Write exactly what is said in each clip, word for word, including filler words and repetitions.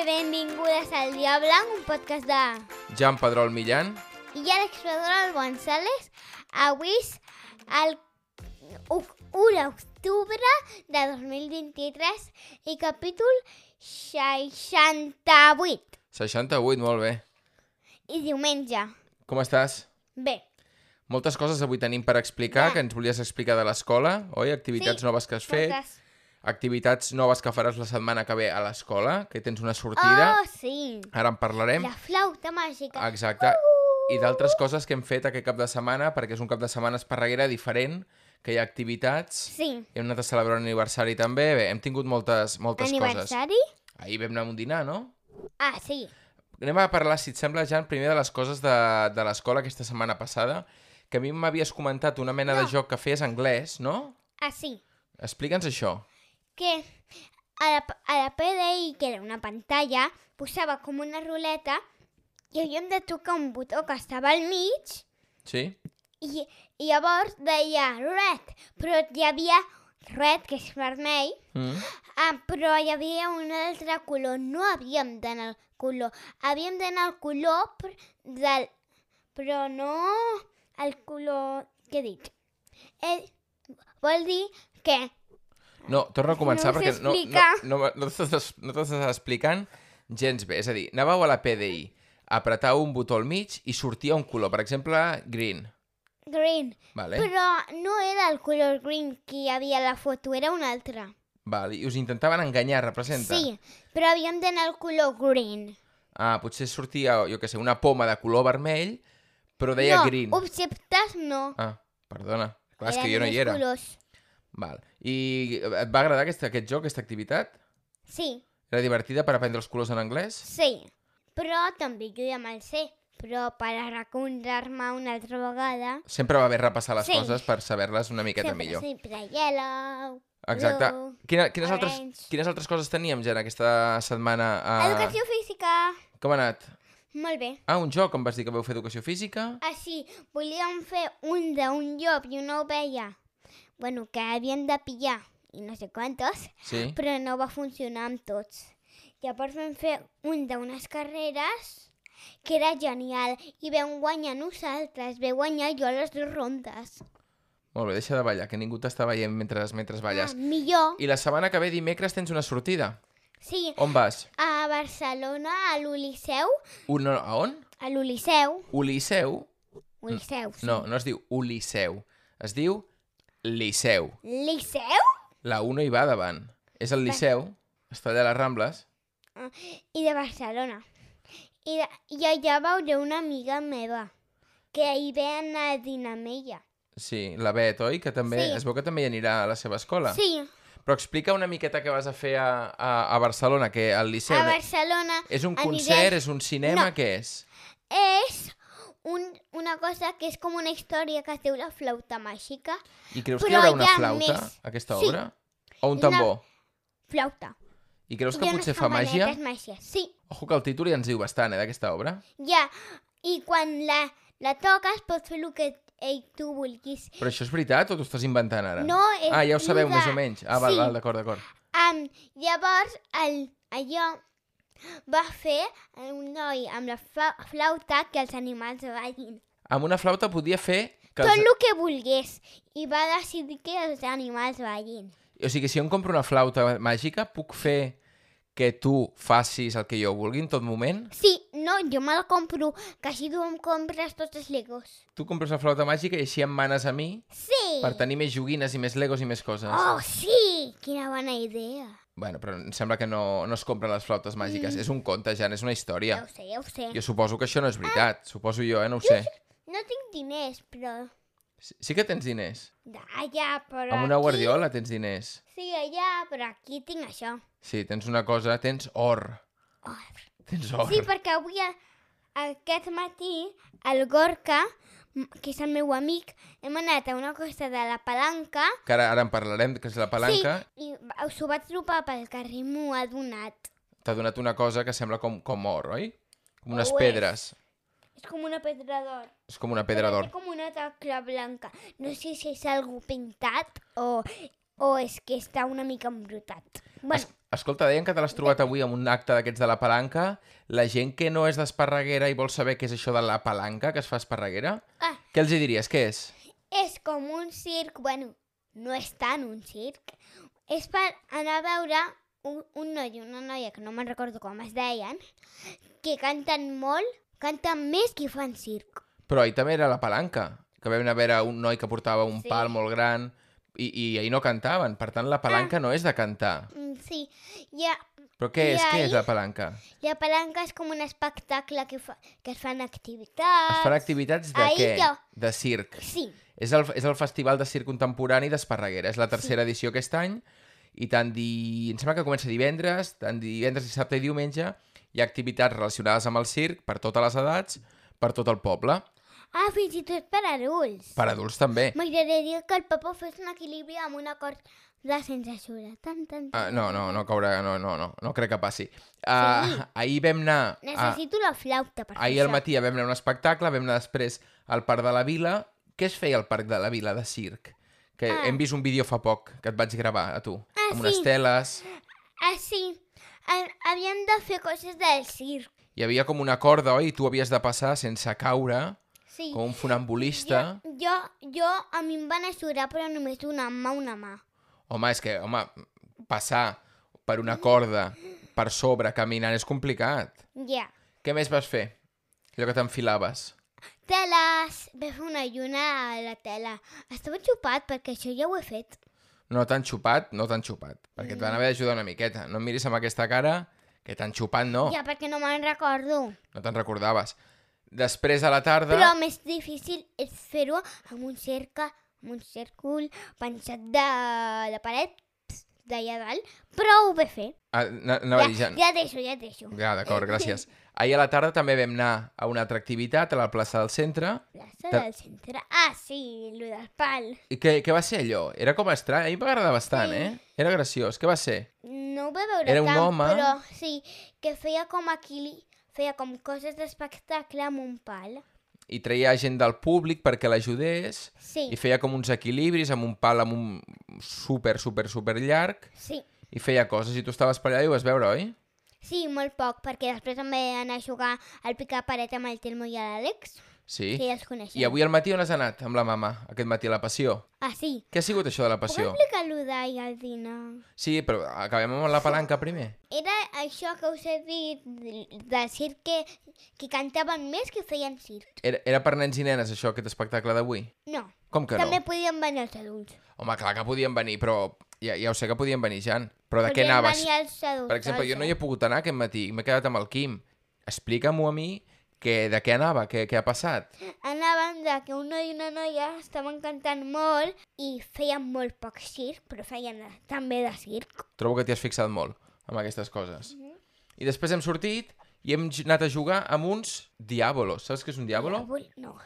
i benvingudes al Dia Blanc, un podcast de Jan Pedrol Millán i Àlex Pedrol González. Avui és el u d'octubre de dos mil vint-i-tres i capítol seixanta-vuit. seixanta-vuit, molt bé. I diumenge. Com estàs? Bé. Moltes coses avui tenim per explicar, Ja. que ens volies explicar de l'escola, oi? Activitats Sí, noves que has fet, Moltes. activitats noves que faràs la setmana que ve a l'escola, que tens una sortida, Oh, sí. ara en parlarem. La flauta màgica. Exacte. I d'altres coses que hem fet aquest cap de setmana, perquè és un cap de setmana esparreguera diferent, que hi ha activitats, Sí. hem anat a celebrar un aniversari també, bé, hem tingut moltes, moltes coses. Aniversari? Ahir vam anar a un dinar, no? Ah, sí. Anem a parlar, si et sembla, Jan, primer de les coses de, de l'escola aquesta setmana passada, que a mi m'havies comentat una mena No. de joc que feies anglès, no? Ah, sí. Explica'ns això. Que a la, a la P D I, que era una pantalla, posava com una ruleta i havíem de tocar un botó que estava al mig Sí? i, i llavors deia red, però hi havia red, que és vermell, Mm. ah, però hi havia un altre color. No havíem d'anar al color. Havíem d'anar al color pr- del... però no el color... Què he dit? Eh, vol dir que... No, torna a començar No ho sé perquè no, no, explicar. no, no, no t'estàs no t'estàs explicant gens bé. És a dir, anàveu a la P D I, apretau un botó al mig i sortia un color. Per exemple, green. Green. Vale? Però no era el color green que hi havia a la foto, era un altre. Vale. I us intentaven enganyar, representa? Sí, però havíem d'anar al color green. Ah, potser sortia, jo què sé, una poma de color vermell, però deia no, green. objectes no. Ah, perdona. Clar, és Eren que jo no hi només era. colors. Val. I et va agradar aquest, aquest joc, aquesta activitat? Sí, Era divertida per aprendre els colors en anglès? sí. Però també jo ja me'l sé. Però per recordar-me una altra vegada... Sempre va bé repassar les Sí. coses per saber-les una miqueta sempre, millor. sempre yellow, Exacte. blue, Quina, quines, altres, orange. quines altres coses teníem, Jan, aquesta setmana? A... Educació física. Com ha anat? Molt bé. Ah, un joc, em vas dir que vau fer educació física? Ah, sí, volíem fer un d'un llop i una ovella. Bueno, que havien de pillar i no sé quantos, Sí? però no va funcionar amb tots. Llavors vam fer un d'unes carreres que era genial i vam guanyar nosaltres, vam guanyar jo a les dues rondes. Molt bé, deixa de ballar, que ningú t'està veient mentre, mentre balles. Ah, millor. I la setmana que ve, dimecres, tens una sortida. Sí, On vas? a Barcelona, a l'Oliceu, Un, a on? a l'Oliceu, Uliseu? Oliceu, sí. No, no es diu Uliseu. Es diu Liceu. Liceu? La U no hi va davant. És el Liceu, està allà a les Rambles. I de Barcelona. I, de, i allà veuré una amiga meva, que hi ve anar a dinar amb ella. Sí, la Bet, oi? Que també, Sí. es veu que també hi anirà a la seva escola. Sí, Però explica una miqueta què vas a fer a, a, a Barcelona, que al Liceu... a Barcelona És un aniré- concert, és un cinema, No. què és? és un, una cosa que és com una història que es diu la flauta màgica. I creus que hi Però haurà una hi ha flauta, més. a aquesta Sí. obra? O un Una- tambor? Flauta. I creus que Hi ha potser unes fa màgia? campanetes màgiques. Sí, Ojo que el títol ja ens diu bastant, eh, d'aquesta obra. ja. I quan la, la toques pots fer el que ell tu vulguis. Però això és veritat o t'ho estàs inventant ara? No, és Ah, ja ho sabeu lo de- més o menys. Ah, val, Sí. val, d'acord, d'acord. Um, llavors, el, allò va fer un noi amb la fa- flauta que els animals ballin. Amb una flauta podia fer... Que Tot els... el que volgués. I va decidir que els animals ballin. O sigui, si jo em compro una flauta màgica, puc fer que tu facis el que jo vulgui en tot moment? Sí, no, jo me la compro, que així tu em compres tots els legos. Tu compres la flauta màgica i així em manes a mi Sí! per tenir més joguines i més legos i més coses. Oh, sí! Quina bona idea. Bueno, però em sembla que no, no es compren les flautes màgiques. És un conte, Jan, és una Ja història. ho sé, ja ho sé. Jo suposo que això no és veritat. Suposo jo, eh? No ho sé. No tinc diners, però... Sí, sí que tens diners. Allà, però Amb una aquí... guardiola tens diners. Sí, allà, però aquí tinc això. Sí, tens una cosa... Tens or. Oh. Tens or. Sí, perquè avui, a- aquest matí, el Gorka, m- que és el meu amic, hem anat a una cosa de la palanca. Que ara, ara en parlarem, que és la palanca. Sí, i va- us ho vaig trobar pel carrer, m'ho ha donat. T'ha donat una cosa que sembla com, com or, oi? Com unes Ho és. pedres. És com una pedra d'or. És com una pedra d'or. Té com una tacla blanca. No sé si és algú pintat o, o és que està una mica embrutat. Bueno, Es, Escolta, deien que te l'has trobat avui en un acte d'aquests de la palanca. La gent que no és d'Esparreguera i vol saber què és això de la palanca que es fa a Esparreguera, Ah, què els hi diries? Què és? és com un circ, bueno, no és tant un circ. És per anar a veure un, un noi i una noia, que no me'n recordo com es deien, que canten molt, canten més que fan circ. Però ahir també era la palanca, que vam anar a veure un noi que portava un Sí. pal molt gran i, i ahir no cantaven. Per tant, la palanca Ah. no és de cantar. Mm, sí, ja, Però què I és? Què ahir- és la palanca? la palanca és com un espectacle que, fa, que es fan activitats. Es fan activitats de ahir què? jo- De circ. Sí, És el, és el Festival de Circ Contemporani d'Esparreguera. És la tercera edició aquest any i tant di... em sembla que comença divendres, tant divendres, dissabte i diumenge hi ha activitats relacionades amb el circ per totes les edats, per tot el poble. ah, fins i tot per adults. Per adults també. M'agradaria que el papa fes un equilibri amb un acord de sense ajuda. Tan, tan, tan. Uh, no, no, no caurà, no, no, no, no crec que passi. Uh, Sí. Ahir vam anar... A, Necessito la flauta per fer ahir al això. matí vam anar a un espectacle, vam anar després al Parc de la Vila. Què es feia al Parc de la Vila de circ? Que Ah. hem vist un vídeo fa poc, que et vaig gravar a tu. Ah, amb unes sí. teles. Ah, sí. Ha- Havíem de fer coses del circ. Hi havia com una corda, oi? I tu havies de passar sense caure, Sí. com un funambulista. Jo, jo, jo, a mi em van ajudar, però només una mà, una mà. Home, és que, home, passar per una corda per sobre, caminant, és complicat. Ja. Què més vas fer? Allò que t'enfilaves. Teles. Vam fer una lluna a la tela. Estava xupat perquè això ja ho he fet. No t'han xupat, no t'han xupat, perquè et van haver d'ajudar una miqueta. No em miris amb aquesta cara, que t'han xupat, no. Ja, perquè no me'n recordo. No te'n recordaves. Després, a la tarda... Però més difícil és fer-ho amb un cercle, amb un cèrcol pensat de la paret d'allà dalt, però ho vaig fer. Ah, na- anava a dir, Ja, ja... ja deixo, ja deixo. Ja, d'acord, gràcies. Ahir a la tarda també vam anar a una altra activitat a la plaça del centre. Plaça Te- del centre. Ah, sí, lo del pal. I què, què va ser allò? Era com estrany. A mi m'agrada bastant, Sí. eh? Era graciós. Què va ser? No ho va veure Era un tant, home. però sí, que feia com equili... feia com coses d'espectacle amb un pal. I traia gent del públic perquè l'ajudés. Sí, I feia com uns equilibris amb un pal amb un super, super, super llarg. sí. I feia coses. I tu estaves per allà i ho vas veure, oi? Sí, molt poc, perquè després em vaig anar a jugar al picar-paret amb el Telmo i l'Àlex, Sí. que ja els coneixem. I avui al matí on has anat amb la mama? Aquest matí a la passió. Ah, sí. Què ha sigut això de la Puc passió? explicar-lo d'ahir al dinar? Sí, però acabem amb la palanca primer. Era això que us he dit del del circ que, que cantaven més que feien circ. Era, era per nens i nenes, això, aquest espectacle d'avui? No, Com que no? també podien venir els adults. Home, clar que podien venir, però ja, ja ho sé que podien venir, Jan. Però de què Podien anaves? venir els adults. Per exemple, jo no hi he doncs, pogut anar aquest matí, m'he quedat amb el Quim. Explica'm-ho a mi, que, de què anava, què, què ha passat. Anaven de que un noi i una noia estaven cantant molt i feien molt poc circ, però feien també de circ. Trobo que t'hi has fixat molt amb aquestes coses. Mhm. I després hem sortit i hem j- anat a jugar amb uns diàbolos. Saps què és un diàbolo? Avui no.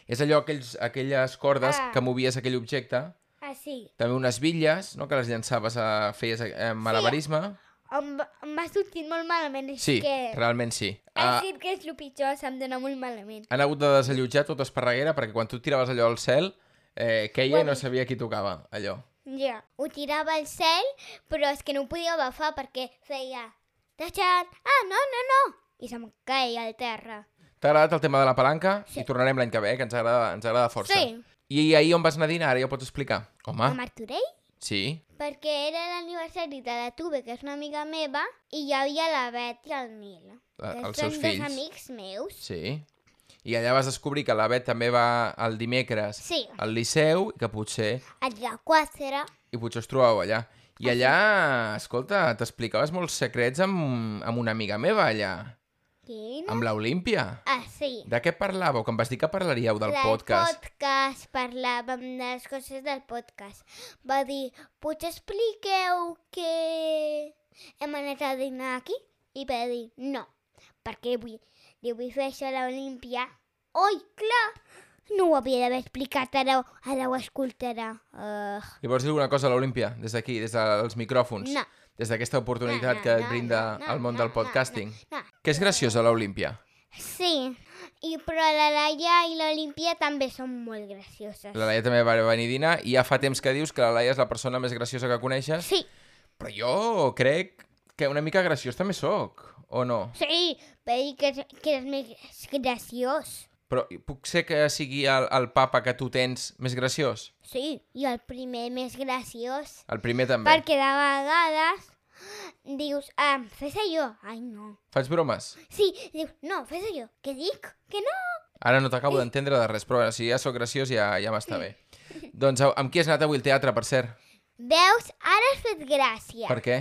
És allò, aquells, aquelles cordes Ah. que movies aquell objecte. Ah, sí. També unes bitlles, no?, que les llançaves a... feies eh, malabarisme. Em va, em va sortir molt malament, és Sí, que... realment sí. El Ah, circ és el pitjor, se'm dona molt malament. han hagut de desallotjar tot Esparreguera perquè quan tu tiraves allò al cel, eh, queia i no Bueno. sabia qui tocava, allò. Ja, ho tirava al cel, però és que no ho podia agafar perquè feia... Tachan! Ah, no, no, no! I se'm caia al terra. T'ha agradat el tema de la palanca? Sí. I tornarem l'any que ve, que ens agrada, ens agrada força. Sí. I ahir on vas anar a dinar? Ara ja ho pots explicar. Home, A Martorell? sí. Perquè era l'aniversari de la Tuve, que és una amiga meva, i hi havia la Bet i el Nil. La- que els són seus dos fills. amics meus. Sí. I allà vas descobrir que la Bet també va el dimecres Sí, al Liceu i que potser, a la quatre. i potser us trobàveu allà. I allà, escolta, t'explicaves molts secrets amb, amb una amiga meva allà, Quin? amb l'Olímpia. Ah, sí. De què parlàveu? Que em vas dir que parlaríeu del Del podcast. podcast, parlàvem de les coses del podcast. Va dir, potser expliqueu que hem anat a dinar aquí? I va dir, no, perquè vull, li vull fer això a l'Olímpia. Oi, clar! No ho havia d'haver explicat, ara, ara ho escoltarà. Uh, Li vols dir alguna cosa a l'Olímpia, des d'aquí, des dels micròfons? no, Des d'aquesta oportunitat No, no, que et no, brinda no, no, el món no, del no, podcasting. no, no. Que és graciosa l'Olímpia. Sí, i, però la Laia i l'Olímpia també són molt gracioses. La Laia també va venir a dinar i ja fa temps que dius que la Laia és la persona més graciosa que coneixes, Sí, però jo crec Que una mica graciós també sóc, o no? Sí, vaig dir que, que eres més graciós. Però puc ser que sigui el, el papa que tu tens més graciós? Sí, i el primer més graciós. El primer també. Perquè de vegades dius, ah, fes allò. Ai, no. Faig bromes? Sí, dius, no, fes allò. Què dic? Que no. Ara no t'acabo d'entendre de res, però bueno, si ja sóc graciós ja, ja m'està bé. Doncs amb qui has anat avui al teatre, per cert? Veus? Ara has fet gràcia. Per què?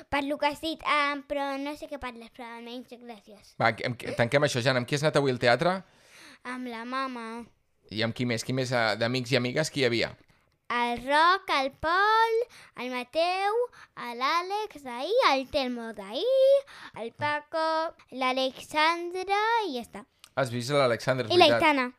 Per lo que has dit, ah, però no sé què parles, però almenys gràcies. Va, amb, amb, tanquem això, Jan. Amb qui has anat avui al teatre? Amb la mama. I amb qui més? Qui més eh, d'amics i amigues qui hi havia? El Roc, el Pol, el Mateu, l'Àlex d'ahir, el Telmo d'ahir, el Paco, l'Alexandra i ja està. Has vist l'Alexandra, és I la veritat. Itana.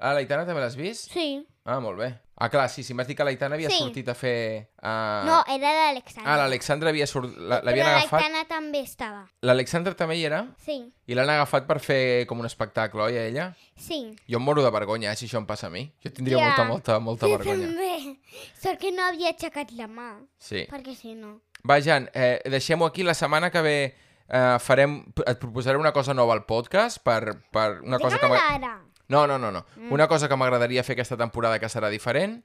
Ah, l'Aitana també l'has vist? Sí. Ah, molt bé. Ah, clar, sí, sí, m'has dit que l'Aitana havia Sí. sortit a fer... Uh... No, era l'Alexandra. Ah, l'Alexandra havia sort... la- Però l'havien la agafat... Itana també estava. L'Alexandra també hi era? Sí, I l'han agafat per fer com un espectacle, oi, a ella? sí. Jo em moro de vergonya, eh, si això em passa a mi. Jo tindria Ja. molta, molta, molta Jo vergonya. també. Sort que no havia aixecat la mà, Sí. perquè si no... Va, Jan, eh, deixem-ho aquí. La setmana que ve eh, farem... Et proposaré una cosa nova al podcast per, per una cosa que... Digue-me-la m'ha- ara. No, no, no, no. Mm. Una cosa que m'agradaria fer aquesta temporada que serà diferent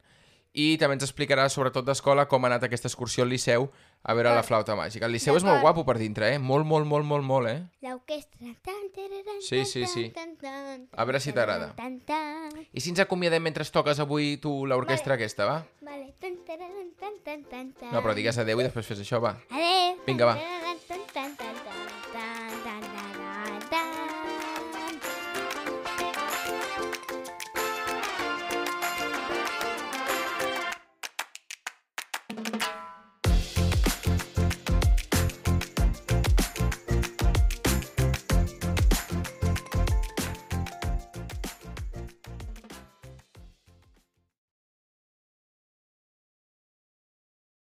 i també ens explicarà, sobretot d'escola, com ha anat aquesta excursió al Liceu a veure la flauta màgica. El Liceu és molt D'acord. guapo per dintre, eh? Molt, molt, molt, molt, molt, eh? L'orquestra... tan, tararan, Sí, tan, sí, sí. tan, tan, A veure si t'agrada. tan, tan. I si ens acomiadem mentre toques avui tu l'orquestra aquesta, va? Vale. Tan, tararan, tan, tan, tan, tan. No, però digues adeu i després fes això, va. Adéu. Vinga, va. Tan, tararan, tan, tan, tan, tan, tan, tan, tan, tan.